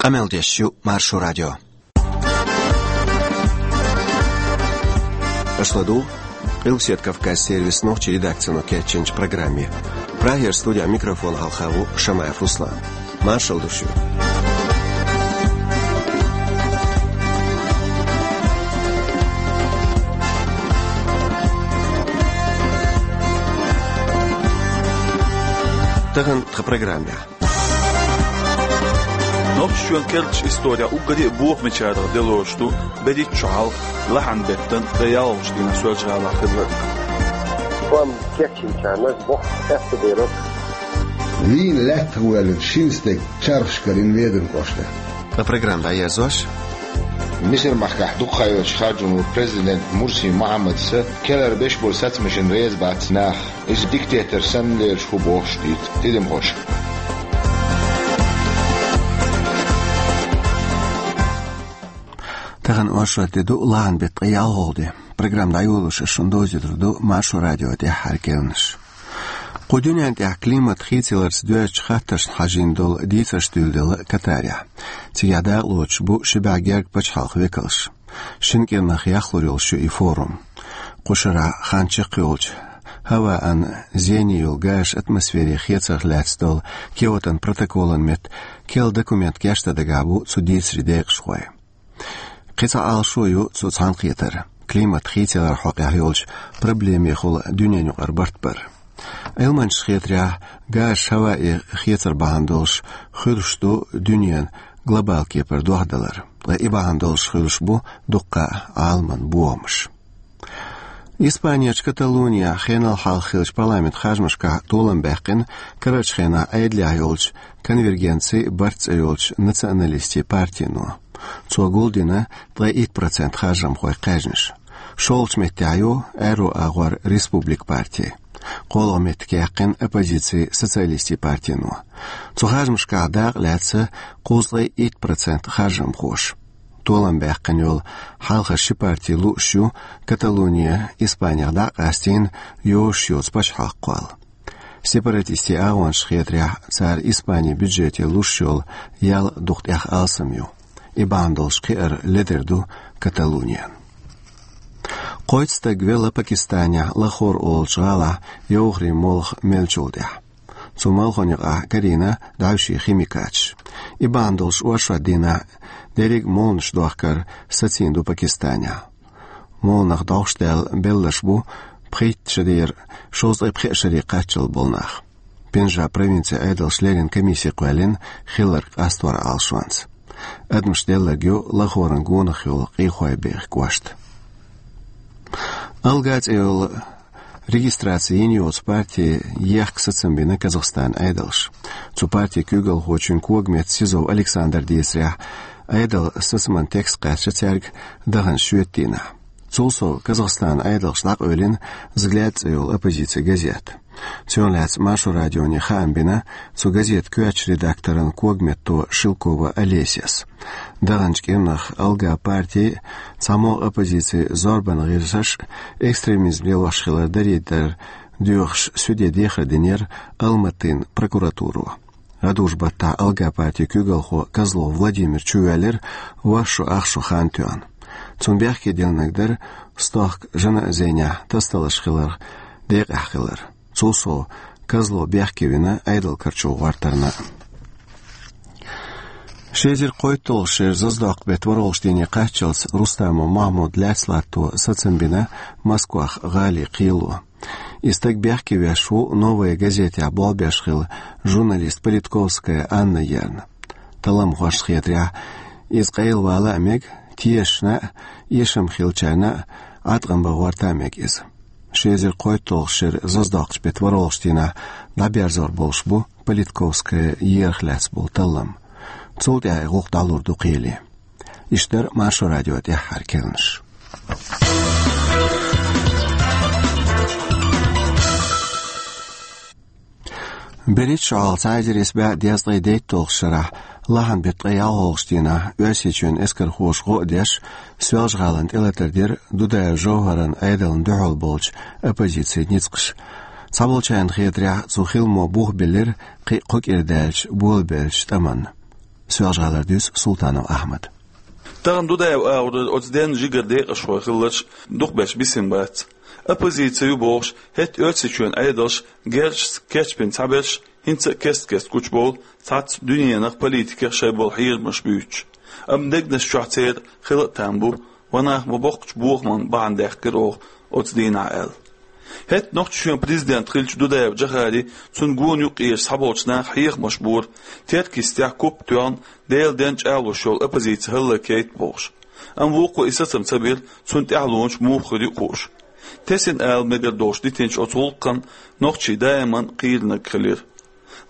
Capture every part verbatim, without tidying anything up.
Къамел деш ю Маршо радио. Аша ладугӀу Къилбаседа Кавказан сервисан нохчийн редакцино кечйинчу программе. Прагера студин микрофона хьалха ву Шамаев Руслан. Маршалла ду шуьга. Тахана тхан программехь. Нохчийчоьнан керлачу исторехь уггаре а бохамечарах де лоруш ду берхӀитта шо хьалха лахьан беттан ткъе ялхалгӀачу дийнахь Соьлжа-ГӀалахь хилларг. Кхам кечйинчарна боху аьтто дерг. Вийна лаьттах воьллина шина стеган чархаш карийна Веданан кӀоштара. Ткъа программа дӀаерзош. Мисар-махкахь дукха хан йоцуш харжам ло президент Мурси Мухьаммада, керла беш болу сацамашна реза бац нах. Иза диктатор санна лелаш ву бохуш дийца тидамхоша. Тахана оршот де ду, лахьан беттан ткъе ялхалгӀа де. Программа дӀайолош ас шуна довзуьйтур ду Маршо радион тӀаьххьара керланаш. Кху дуьнен тӀехь климат хийцаларца доьзначу хаттаршна хьажийна долу дийцарш дуьйладелла Катарехь. Цигахь дакъалоцуш бу ши бӀе гергга пачхьалкхан векалш. Шина кӀирнах яхлур йолуш ю и форум. Кху шарахь хан чекхйолчу хӀаваан зене йолу газаш атмосфере хецарх лаьцна долу Киотон протоколан метта керла документ гечдан дагахь бу цу дийцарийн декъашхой. Кхин цхьа Ӏалашо ю цу цхьаьнакхетаран: климат хийцаларан хьокъехь йолчу проблемехула дуьненан юкъара барт бар. Ӏилманчашна хетарехь, газаш хӀаваан хецар бахьана долуш хуьлуш ду дуьненан глобал кепара дохдалар, ткъа и бахьана долуш хуьлуш бу дуккха а Ӏаламан бохамаш. Испанерчу Каталонехь хенал хьалха хиллачу парламентан харжамашкахь толам баьккхина карарчу хенахь Ӏедалехь йолчу «Конвергенци, барт» цӀе йолчу националистийн партино. Цо гулдина ткъе итт процент харжамхойн кхаьжнаш. ШолгӀачу меттехь ю аьрру агӀор «Республика» парти. КхоалгӀа меттиг яьккхина оппозицин «Социалистийн» партино. Цу харжамашкахь дакъа лаьцна кхузткъе итт процент харжамхоша. Толам баьккхина йолу хьалхара ши парти лууш ю Каталони Испанех дӀа а къастийна йозуш йоцу пачхьалкх кхолла. Сепаратистийн агӀончашна хетарехь, цара Испанин бюджете луш йолу ял дукха тӀех алсам ю. И бахьана долуш кхиар ледара ду Каталонин. Кхойтта стаг велла Пакистанехь Лахор олучу гӀалахь йовхарийн молха меллачул тӀаьхьа. Цу молханна юкъахь карийна дӀаьвшийн химикаташ. И бахьана долуш оршот дийнахь дерриг а молханаш дохкар сацийна ду Пакистанехь. Молханах дӀовш даьлла белларш бу пхийтта шарера шовзткъе пхеа шаре кхаччалц болу нах. Пенджаб провинцин Ӏедалша леррина комисси кхоьллина хилларг къастор Ӏалашонца. Адамаш делларг ю Лахоран гонах йолу къехой бехк вашта. «Алга» цӀе йолу регистраци йина йоцу парти ехка сацам бина Казахстанан Ӏедалша. Цу партин куьйгалхочун когаметта Сизов Александра дийцарехь, Ӏедалан сацаман текст кхаьчна цаьрга даханчу шоьтан дийнахь. Цул сов Казахстанан Ӏедалша дӀакъевлина «Взгляд» цӀе йолу оппозицин газета. Цунах лаьцна Маршо радионе хаам бина цу газетан коьртачу редакторан когаметто Шелкова Олесяс. Даханчу кӀирнах «Алга» парти а, цхьамогӀа оппозицин зорбанан гӀирсаш а экстремизм лелош хилар дарийдар доьхуш суьде дехар динера Алматин прокуратуро. ГӀадужу баттахь «Алга» партин куьйгалхо Козлов Владимир чувоьллира ворхӀ шо ах шо хан тоьхна. Цунна бехке диллинарг дара стохка жаназенехь тасадаларш хиларх декъехь хилар. Цул сов, Козлов бехке вина Ӏедал карчо гӀортарна. Ши эзар кхойтталгӀачу шеран зазадоккху беттан ворхӀалгӀачу дийне кхаччалц Рустамов Махьмудан лаьцна латто сацам бина Москвахь гӀалин кхело. И стаг бехке веш ву «Новая газетехь» болх беш хилла журналист Политковская Анна ерна. Талламхошна хетарехь, иза къайлавала а мега, тешашна а, эшам хиллачарна а Ӏаткъам бан гӀорта а мега иза. Ши эзар кхойтталгӀачу шеран зазадоккхучу беттан ворхӀалгӀачу дийнахь дӀаберзор болуш бу Политковская ерах лаьцна болу таллам. Цул тӀаьхьа и гӀуллакх дӀалур ду кхеле. Иштта дара Маршо радион тӀаьххьара керланаш. БерхӀитта шо хьалха цхьа эзар исс бӀе дезткъе дейтталгӀачу шарахь, лахьан беттан ткъе ялхалгӀачу дийнахь, Оьрсийчоьнан эскархоша гӀо а деш, Соьлжа-ГӀалина тӀелатар дира Дудаев ЖовхӀаран Ӏедална дуьхьал болчу оппозицин ницкъаша. Цхьаболчарна хетарехь, цу хиламо бух биллира кхин а кхо кӀира даьлча болабеллачу тӀамна. Соьлжа-ГӀалара дуьйцу Султанов Ахьмада. Тахана Дудаев агӀорара оцу денна жигара декъашхой хилларш дукхахберш бисина бац. Оппозици ю бохуш, хӀетта Оьрсийчоьнан Ӏедалша герзашца кечбина цхьаберш хӀинца а кест-кеста гучубовлу цхьацца дуьненах, политикех шайн болу хьерамаш буьйцуш. Амма дегнаш чохь церан хила а там бу, ва нах ма-боккхачу бохаман бахьана даьккхира оха оцу дийнахь аьлла. ХӀетта Нохчийчоьнан президент хиллачу Дудаев Джохари, цунна гонах юккъера схьаболчу наха хьехамаш бора, Теркйистехь куп тоьхна, Делан денна чӀагӀлуш йолу оппозици хӀаллакйайта бохуш. Амма вукхо и сацам ца бира, цунна тӀаьхьалонаш муха хир ю хууш. Тесина ала мегар долуш дитинчу оцу гӀуллакхана нохчий даиман кхийринарг хилира.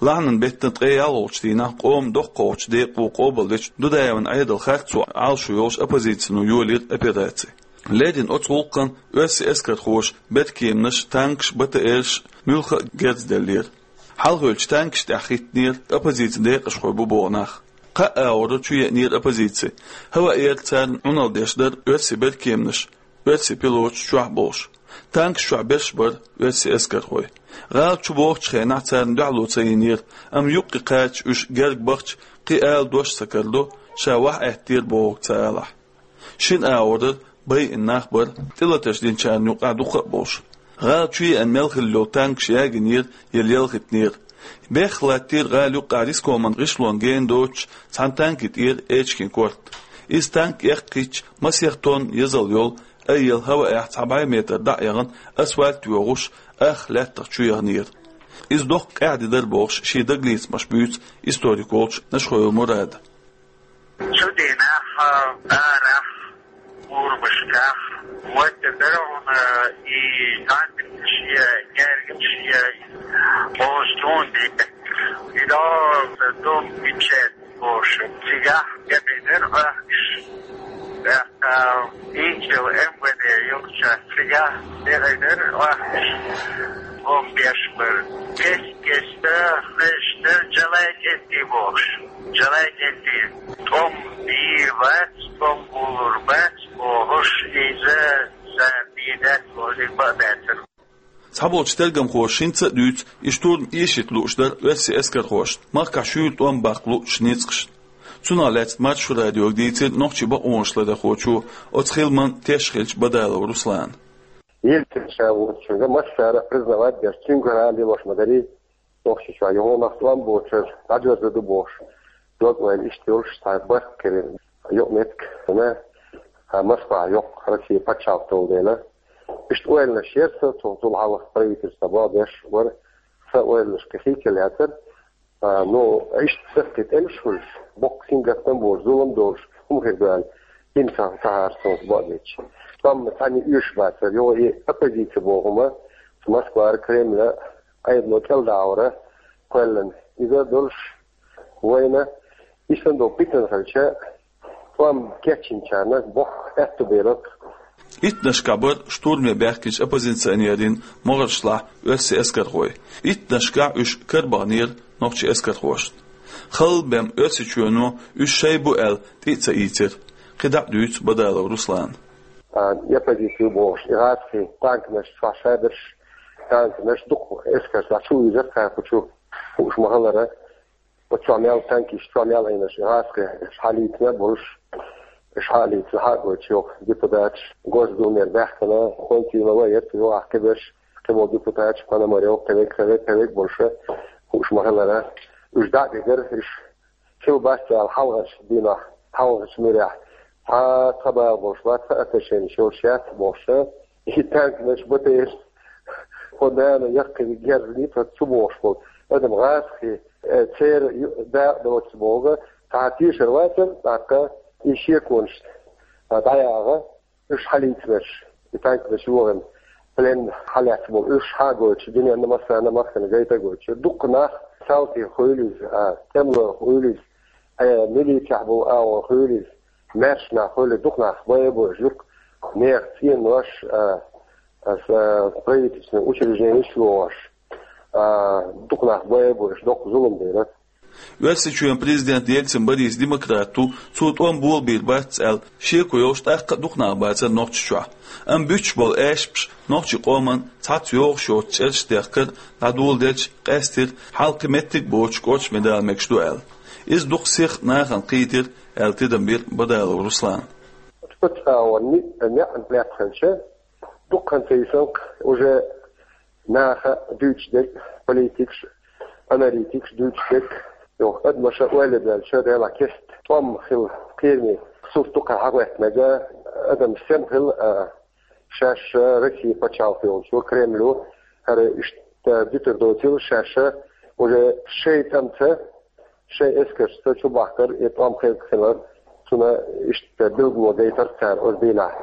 Лахьанан беттан ткъе ялхалгӀачу дийнахь къоман доккхачу декъо къобалдечу Дудаевн Ӏедалан харцо Ӏалашо йолуш оппозицино йолийра операци. Леррина оцу гӀуллакхана оьрсийн эскархоша беркеманаш, танкаш, БТР-ш муьлхха а герз деллера. Хьалхавеллачу танкаш тӀехь хӀиттинера оппозицин декъашхой бу боху нах. Кхаа агӀор чу еанера оппозици. ХӀаваъ ярца царна Ӏуналла деш дара оьрсийн беркеманаш, оьрсийн пилоташ чохь болуш. Танкаш чохь берш бара оьрсийн эскархой. ГӀала чу бохучу хенахь царна дуьхьало ца йинера, амма юккъе кхача уьш герга бахча кхин ала дош ца карадо, ша ваха аьттера бохург ца алахь. Шина агӀор байина нах бара, тӀелатарш динчарна юкъахь дукха а болуш. ГӀала чу еана мел хилла йолу танкаш ягийнера я лелхийтинера. Бехха латтийра гӀала юккъахь рискоман гӀишлон гена доцуш цхьана танки тӀера эчкин корта. Иза танк эккхийтча, масех тонн езал йолу, айъелла хӀаваъехь цхьа бӀе метр дӀа а яхана, асфальт йогӀуш, ах лаьттах чу яханера. Иза доккха къаьхьа де дара бохуш, шен дагалецамаш буьйцу историк волчу Нашхоев Мурада. Цу дийнахь арахь, урбашкахь, ватта дара хьуна и танкаш я, гергаш я, бозу тун де. И дом мечет бохуш, цигахь габинер ахкаш. ТӀаккха инчил МВД йолча цигахь дегӀайдара ахкаш. Гом беш бара. Кест-кеста хезча, Джалай кӀентий бохуш. Джалай кӀентий. ТӀом бийр бац, тӀом булур бац, бохуш, иза сан бийр дац, бохуш, иза бан баьцар. Цхьаболчу тергамхоша хӀинца а дуьйцу, и штурм эшийта лууш дара оьрсийн эскархошна, махкахь шуьйра тӀом баккха луучу ницкъашна. Цунах лаьцна Маршо радиога дийцира нохчийн бакъонашларъярхочо, оцу хиламан теш хиллачу Бадалов Руслана. Ельцин ша волчуьнга массара признавать деш, цуьнгара лелош ма дарий, Нохчийчохь юха нах тӀом боцург дӀадоьрзур ду бохуш, дог ойла иштта йолуш цхьа барт кхерира йокъа меттиг, хӀуна, а, Москва йоккха Россия пачхьалкх долу дела. Иштта ойланаш яра сан, цул, цул хьалха правительство бан беш вара, сан ойланаш кхин хи кел яцара. А, ну, иштта саккхий тӀемаш хуьлуш, боккха сингаттам болуш, зулам долуш, хӀума хир ду аьлла, хӀинца ца хьарцонца бан а дечи. ТӀом цхьанна оьшуш бацара, йо, и оппозиция боху хӀума, Москвара, Кремля, Ӏедало кӀелдахьара кхоьллина. Иза долуш вайна, иштта долу питана хилча, тӀом кечйинчарна боккха аьтту бер бу. Иттаннашкахь бара штурме баьхкинчу оппозиционерийн могӀаршлахь оьрсийн эскархой. Иттаннашкахь уьш карабаханера нохчийн эскархошна. Халла бен Оьрсийчоьно уьш шайн бу аьлла тӀе а ца ийцира. КхидӀа а дуьйцу Бадалов Руслана. А, я позицию бохуш, и гӀазкхий танканаш чохь шадерш, танканаш дукха эскарш чу вуьйзара кхайкхучу хууш ма-хиллара. Оцу чохь мел танкаш, чохь мел Ӏийнарш, гӀазкхий, уьш хьалийцина болуш, уьш хьалийцина хьа а гойтуш йоккха депутаташ, Госдумера баьхкина, Хонтинова а яра, юха кхиберш, кхиболу депутаташ, Пономарёв, кхевег, кхевег, кхевег болуша, хууш ма-хиллара. Уьш дӀа а дигара, уьш хила бац аьлла хьалхарчу дийнахь, хьалхарчу муьрехь, цхьа, цхьа бала болуш бац, цхьа отношенеш йолуш яц бохуша, и танканаш, БТР-ш, хӀо нана яккхий герз лийца цу бохуш болу адам гӀазкхий, э, церан ю-, дакъа доцу боху, цхьа тешар вацара, тӀаккха и шеконаш, а, дӀаяхьа, уьш хьалийцинарш, и танканаш йохийна, плен хьалаьцна болу, уьш хьа а гойтуш, дуьненна массарна махкана гайта а гойтуш. Дукха нах, салтий хуьлийла иза, а, тӀемалой хуьлийла иза, а, милицехь болу агӀор хуьлийла иза, маьрша нах хуьлийла, дукха нах бай а бу уьш, юха нехан цӀенош, а, а, с-, а, правительственный учрежденеш а лохуш, а, дукха нах бай а бу уьш, доккха зулам дара. Оьрсийчоьнан президент Ельцин Борис демократ ву, цо тӀом болабийр бац аьлла, шеко йолуш тӀаккха а дукха нах бацара Нохчийчохь. Амма буьттуш болу аьшпаш нохчийн къоман цхьацца йогӀуш йоцу чӀераш дехкар дӀадоладелча къаьстира, хьалкхи меттиг а боцуш кӀоча медала мегаш ду аьлла. Иза дукха сих нахана кхийтира, аьлла тидам бира Бадалов Руслана. Пачхьалкхе ниъ-, неӀ лаьттаханча, дукха хан ца йисанкх уже наха дуьйцуш дерг, политикаш, аналитикаш дуьйцуш дерг, йоху адамаша ойла баьлча, Делахь кеста тӀом хила кхераме сурт ду-кх хьахӀоьттинарг, адам сема хила, а, шаьш Россин пачхьалкх йолчу, Кремло, хӀара иштта дуьтур доцийла шаьш уже шайн тӀамца, шайн эскаршца чубахкар и тӀом хилар, цунна иштта билгало гайтар цара оцу дийнахь.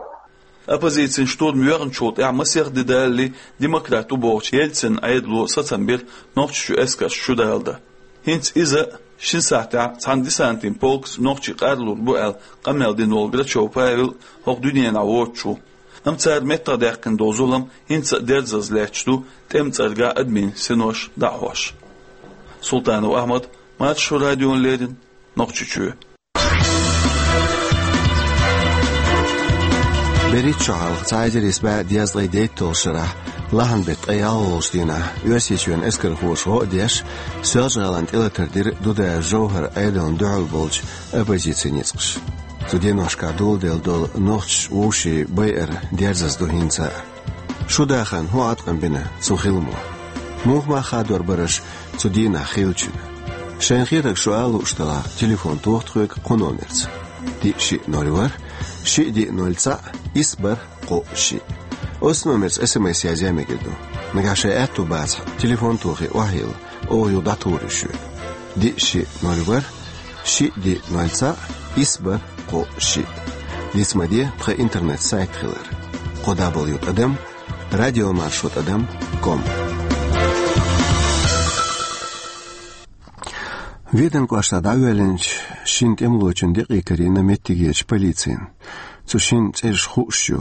Оппозицин штурм йоьхначул тӀаьхьа масех де далале демократ ву бохучу Ельцин Ӏедало сацам бира Нохчийчу эскарш чу даладан. ХӀинца иза шина сахьтехь цхьана десантин полкаца нохчий къарлур бу аьлла къамел дина волу Грачев Павел хӀокху дуьненахь воцуш ву. Амма цара меттахдаьккхина долу зулам хӀинца а дерзаза лаьтташ ду, тӀеман цӀергахь адамийн синош дӀахьош. Султанов Ахьмад, Маршо радиона леррина, Нохчийчоь. БерхӀитта шо хьалха, цхьа эзар исс бӀе дезткъе дейтталгӀачу шарахь, лахьан беттан ткъе ялхалгӀачу дийнахь, Оьрсийчоьнан эскархоша гӀо а деш, Соьлжа-ГӀалин тӀелатар дира Дудаев Жовхьаран Ӏедална дуьхьал болчу оппозицин ницкъаша. Цу деношкахь доладелла долу нохчаша вовшийн байар дерзаза ду хӀинца а. Шу дахарна хӀун Ӏаткъам бина цу хиламо? Муха мах хадор бара аша цу дийнахь хиллачунна? Шайна хетарг шу ала лууш делахь, телефон тоха тхоьга кху номерца: диъ шиъ ноль ворхӀ, шиъ диъ ноль цхьаъ, исс бархӀ кхоъ шиъ. Оцу номерца эс эм эс язъян мегар ду. Нагахь шайн аьтто бацахь, телефон тохий охьайилла, оха юха дӀатухур ю шуьга. Диъ шиъ ноль ворхӀ, шиъ диъ ноль цхьаъ, исс бархӀ кхоъ шиъ. Диц ма де тхан интернет-сайт хилар: кхо дабл ю тӀадам радиомаршо тӀадам ком. Веданан кӀоштахь дӀавоьллинчу шина тӀемалочун декъий карийна меттигерчу полицина. Цу шинна цӀераш хууш ю,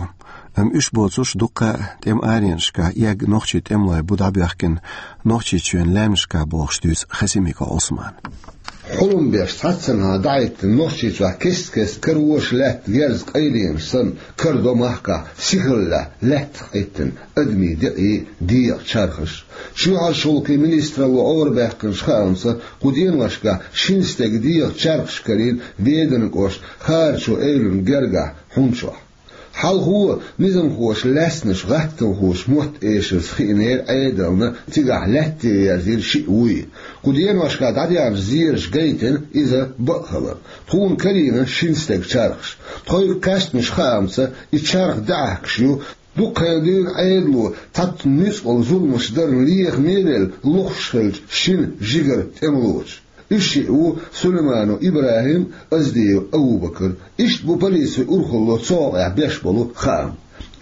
амма уьш боцурш дуккха а тӀеман аренашкахь эгна нохчийн тӀемалой бу дӀабоьхкина Нохчийчоьнан лаьмнашкахь бохуш дуьйцу Хасимиков Ӏусмана. Хьулам беш цхьаццанхьа дӀахӀиттина Нохчийчохь кест-кеста карош лаьтта герз къайленаш санна, карадо махкахь сихаллехь лаьттах Ӏиттина адамийн декъий, дегӀан чархаш. Чоьхьарчу гӀуллакхийн министралло Ӏорабаьккхинчу хаамца, кху деношкахь шина стеган дегӀан чархаш карийна Веданан кӀоштан Харачу эвлан гергахь, хьун чохь. Хьалхо низамхоша лаьцначу гӀаттамхоша мотт эшарца хиънера Ӏедална, цигахь лаьтте верзийра шиъ вуй. Кху деношкахь дӀадаьхьначу зерашца гайтина иза бакъ хилар. Тхуна карийна шина стеган чархаш. Тхоьга кхаьчначу хаамца, и чарх даьӀахкаш ю, дукха хан дуьйна Ӏедало цхьацца нуьцкъала зуламаш дарна лехаме а велла, лохуш хиллачу шина жигара тӀемалочун. Уьш шиъ ву Сулайманов ИбрахӀим, Оздиев Абубакар. Иштта бу полицин урхалло цу хьокъехь беш болу хаам.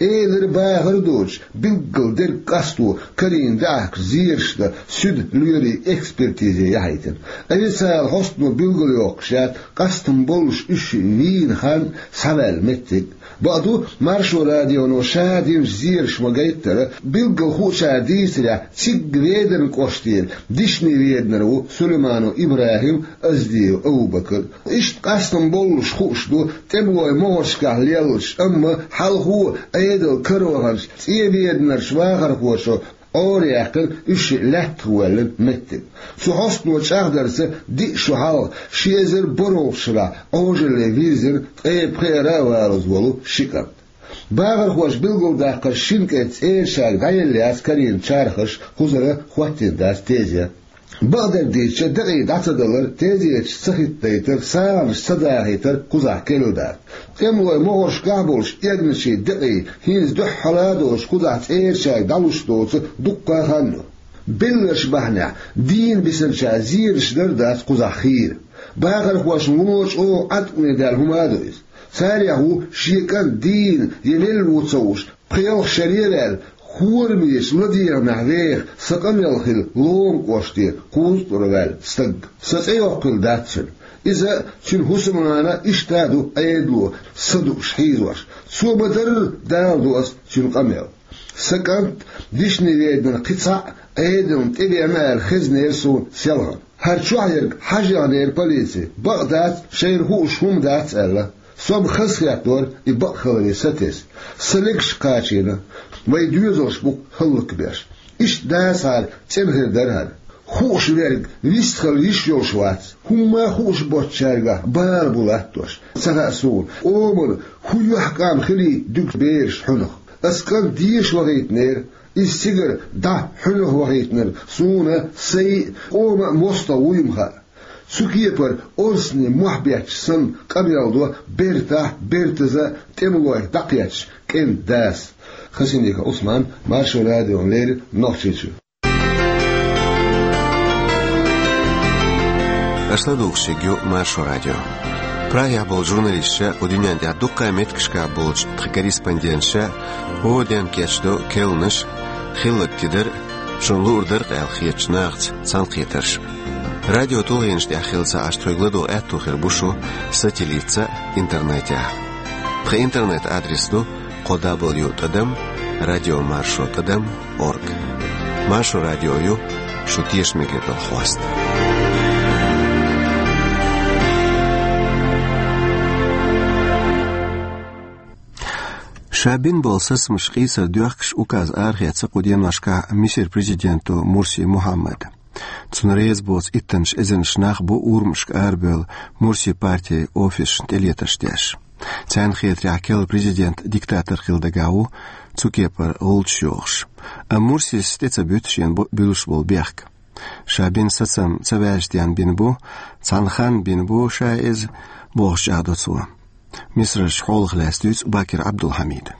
Элира, бахар а доцуш, билггал дерг къасто карийна даьӀахкаш зераш дан суьдан лоьрийн экспертизе яхьийтина. Официалан хьостано билгалйоккхуш яц, къастам боллуш уьш шиъ вийна хан, схьаваьлла меттиг. Бакъду, Маршо радионо ша динчу зераша ма-гайттара, билггал хуучара дийцарехь, цигга Веданан кӀоштера Дишни-Веданара ву Сулайманов ИбрахӀим, Оздиев Абубакар. Иштта къастам боллуш хууш ду тӀемалой могӀаршкахь леллачу, амма хьалхо Ӏедал караваханчу ЦӀен-Веданарчу вахархоша Ӏораяьккхина уьш шиъ лаьттах воьллина меттиг. Цу хьостано чӀагӀдарца, диъ шо хьалха, ши эзар бархӀалгӀачу шарахь Ӏожалле вирзина ткъе пхеара а валаза волу ши кӀант. Бахархоша билгалдаккхарш шина кӀентан цӀерачаьрга дӀаелла яц карийна чархаш, кхузара хӀоттийна дац тезе. Бакъдерг дийцича, декъий дӀа ца далар, тезеташ ца хӀиттадайтар, сагӀанаш ца дахийтар кхузахь керла дац. ТӀемалой могӀаршкахь болчу эгначийн декъий хӀинца дуьххьара а доцуш кхузахь цӀерачаьрга дӀалуш доцу дуккха а хан ю. Белларш бахьанехь, дийна бисинчара зераш дар а дац кхузахь хийра. Бахархошна вуно чӀогӀа Ӏаткъаме даьлла хӀума а ду иза. Царех ву шен кӀант дийна я велла ву ца хууш, пхи-ялх шаре а ваьлла, хӀорамечу ладегӀамехь веха, сан къамел хилла Лома кӀоштера кхузткъара ваьлла стаг. Сан цӀе йоккхуьйтур дац цуьнан. Иза, цуьнан хӀусамнана иштта а ду Ӏедало са дууш хьийзош. Цо ма-дарра даладо ас цуьнан къамел. Сан кӀант Дишни-Веданара кхин цхьаъ Ӏедална тӀевеана аьлла хезнера суна селхана. ХӀара чохь ерг хьажа яхнера полици, бакъ дац, шайна хууш хӀума дац аьлла. Со-м хазахеттора и бакъ хиларе сатесна. Сан легаш кхачийна, вайн доьзалш бу хӀаллакбеш. Иштта дацахьара, цӀена хир дара хӀара. Хууш верг вистхила йиш йолуш вац. ХӀумма а хууш боцчаьрга бала бу латтош. Ца хаьа суна, къоман хӀун юьхькӀам хили дуьгу бераш хьуьнах. Ас кӀант деша вахийтинера, иза цигара дӀа хьуьнах вахийтинарг суна сайн а, къоман а мостагӀа вуй-м хаьа. Цу кепара орцане мохь бетташ санна къамел до бертахь, бертаза тӀемалойх дӀакхетташ кӀентан дас. Хасимиков Ӏусман, Маршо радиона леррина, Нохчийчоь. Аша ладугӀуш ю Маршо радио. Прагехь болчу журналисташа, кху дуьнен тӀехь дуккха а меттигашкахь болчу тхан корреспонденташа хӀора дийнахь кечдо керланаш, хилларг тидар а, шуна луур дара-кх аьлла хетачу нахаца цхьаьнакхетарш а. Радио тулгӀенаш тӀехь хилла ца Ӏаш, тхоьга ладогӀа аьтто хир бу шу сателлитца а, интернетехь а. Тхан интернет-адрес ду кхо дабл ю тӀадам радио маршо тӀадам орг. Маршо радио ю шун тешаме гӀертал хьоста. Ша бина болу сацамаш къийсар доьхкуш указ арахецна кху деношкахь Мисар президенто Мурси Мухьаммада. Цунна реза боцу иттаннаш эзарнаш нах бу урамашка арабевлла Мурси партин офисашна тӀелетарш деш. Царна хетарехь, керла президент диктатор хила дагахь ву, цу кепара гӀулчаш йохуш. Амма Мурсис тӀе ца буьту шена бу-, буьлуш болу бехк. Ша бина сацам ца ваьжча денна бина бу, цхьана ханна бина бу ша иза, бохуш чӀагӀдо цо. Мисарчу хьолах лаьцна дуьйцу Бакир Ӏабдулхьамида.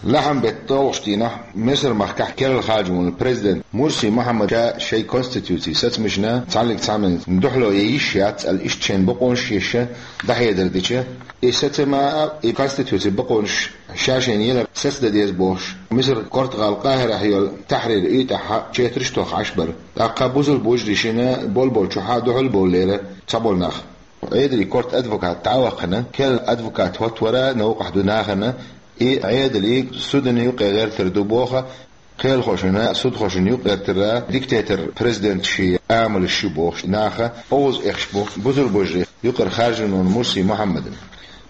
Лахьан беттан тӀаьххьарчу дийнахь Мисар-махкахь керла хаьржина волу президент Мурси Мухьаммада шайн конституцин сацамашна цхьаьнниг цхьамма дуьхьало ян йиш яц аьлла, иштта шайна бакъонаш а еш, дӀахьедар дича, и сацам а, и конституцин бакъонаш ша шайна елар сацадан деза бохуш, Мисар-кортан гӀала Къахьирахь йолу Тахьрир уьйтӀахь четарш а тохна Ӏаш бара. ТӀаккха бусалба вежарий шина болболчохь дуьхьал бовлура цхьаболу нах. Ӏедалан корта адвокат дӀа а вахана, керла адвокат хӀоттавара новкъахь ду нахана, и Ӏедалан судна юккъе гӀертар ду боху, кхелахошна, судхошна юккъе гӀертар диктатор президентан шен амалш ю бохуш наха, оьгӀаз эхаш бу бусалба вежарий юкъара хаьржина волу Мурси Мухьаммадна.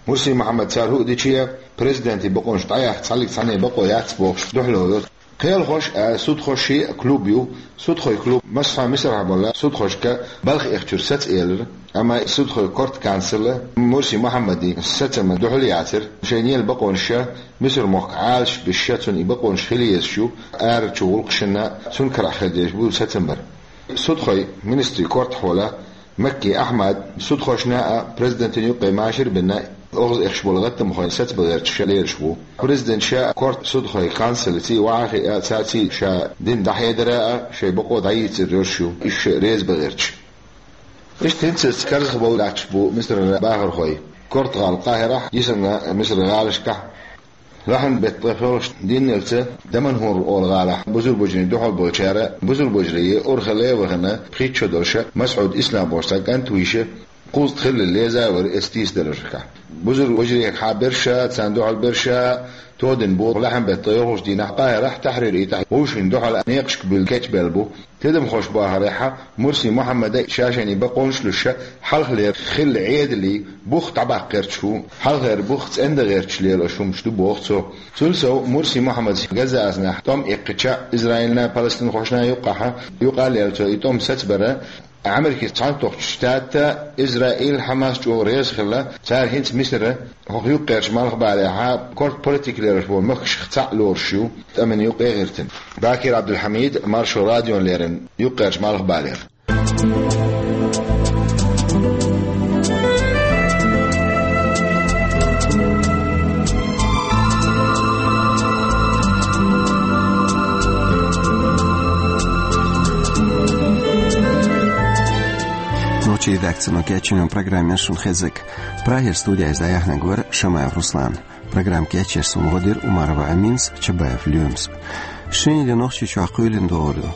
Мурси Мухьаммада цара хӀуъа дича, президентан бакъонаш дӀаяхьа цхьаьнниг цхьанна бакъо яц бохуш дуьхьало йо. Кхелахош а, судхош шиъ а клуб ю. Судхойн клуб массо а Мисарахь болу судхошка балха эхчуьра саца элира, амма судхойн кортан канцело Мурси Мухьаммадин сацамна дуьхьал яцара, шайна елла бакъонаш Мисар-мохк Ӏалашбеш, цунна и бакъонаш хила езаш ю, арачу гӀуллакхашна цунна карахь хир дезаш бу сацам бар. Судхойн министрийн кортахь волу Макки Ахьмад судхошна а, президентана юккъе машар а бина, оьгӀаз эхаш болу гӀаттамхойн сацабан гӀерташ лелаш ву. Президента ша кортан судхойн канцелоца ваха а хиъна, цаьрца ша дина дӀахьедар а, шайн бакъо дӀайийцар йолуш ю, иштта ша реза бан гӀерташ. Иштта хӀинца карзахбовла латташ бу Мисаран бахархой. Кортан гӀала Къахьирахь, йисина Мисаран гӀалашкахь, лахьан беттан ткъе-пхоьалгӀачу дийнахьлерца Даманхур олу гӀалахь бусалба вежарийн дуьхьал болчара, бусалба вежарий урхалла а вахана, пхийтта шо долуш Масхьуд Ислам бохуш цхьа кӀант вуьйш, кхузткъа хиллал леза а вара, эцна тийсадаларшкахь. Бусалба вежарий хьа берш а, царна дуьхьал берш а тодина бу лахьан беттан ткъе ялхалгӀачу дийнахь Къахьирахь Тахьрир уьйтӀахь вовшийн дуьхьал некъашка буьллу кечбелла бу. Тидамхоша бахарехь, Мурси Мухьаммада ша шайна бакъонаш луш, хьалхалера хилла Ӏедалан бух дӀабаккха гӀерташ ву, хьалхара бух цӀендан гӀерташ лелош хӀумнаш ду боху цо. Цул сов Мурси Мухьаммада Газа-Ӏаьзнахь тӀом эккхича, Израилна, палестинхошна юккъехь, юкъа а лелла цо и тӀом сацабар, Америкин Цхьаьнатохчу Штаташ, Израиль, Хьамас чӀогӀа реза хилла, цара хӀинца Мисар хӀокху юккъерчу малхбалехь, кортан политика лелош болу махкашах цхьаъ лоруш ю, тӀамна юккъе а гӀиртина. Бакир Ӏабдулхьамид, Маршо радиона леррина, юккъерчу малхбалера. Нохчийн редакцино кечйина программа шуна хезнарг. Прагера студехь иза дӀаяьхьнарг вара Шамаев Руслан. Программа кечъеш суна гӀо дира Умарова Аминас, Чабаев Лоьмас. Шинарин де Нохчийчохь кхоьлина догӀур ду.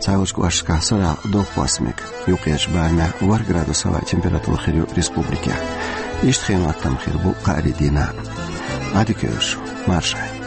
Цхьайолчу кӀошташкахь сарахь дохк хӀоссийла, юккъерчу барамехь ворхӀ градус хӀаваан температура хир ю республикехь. Иштта хин хӀоттам хир бу кхаарин дийнахь. Ӏадика йойла шу, марша Ӏойла.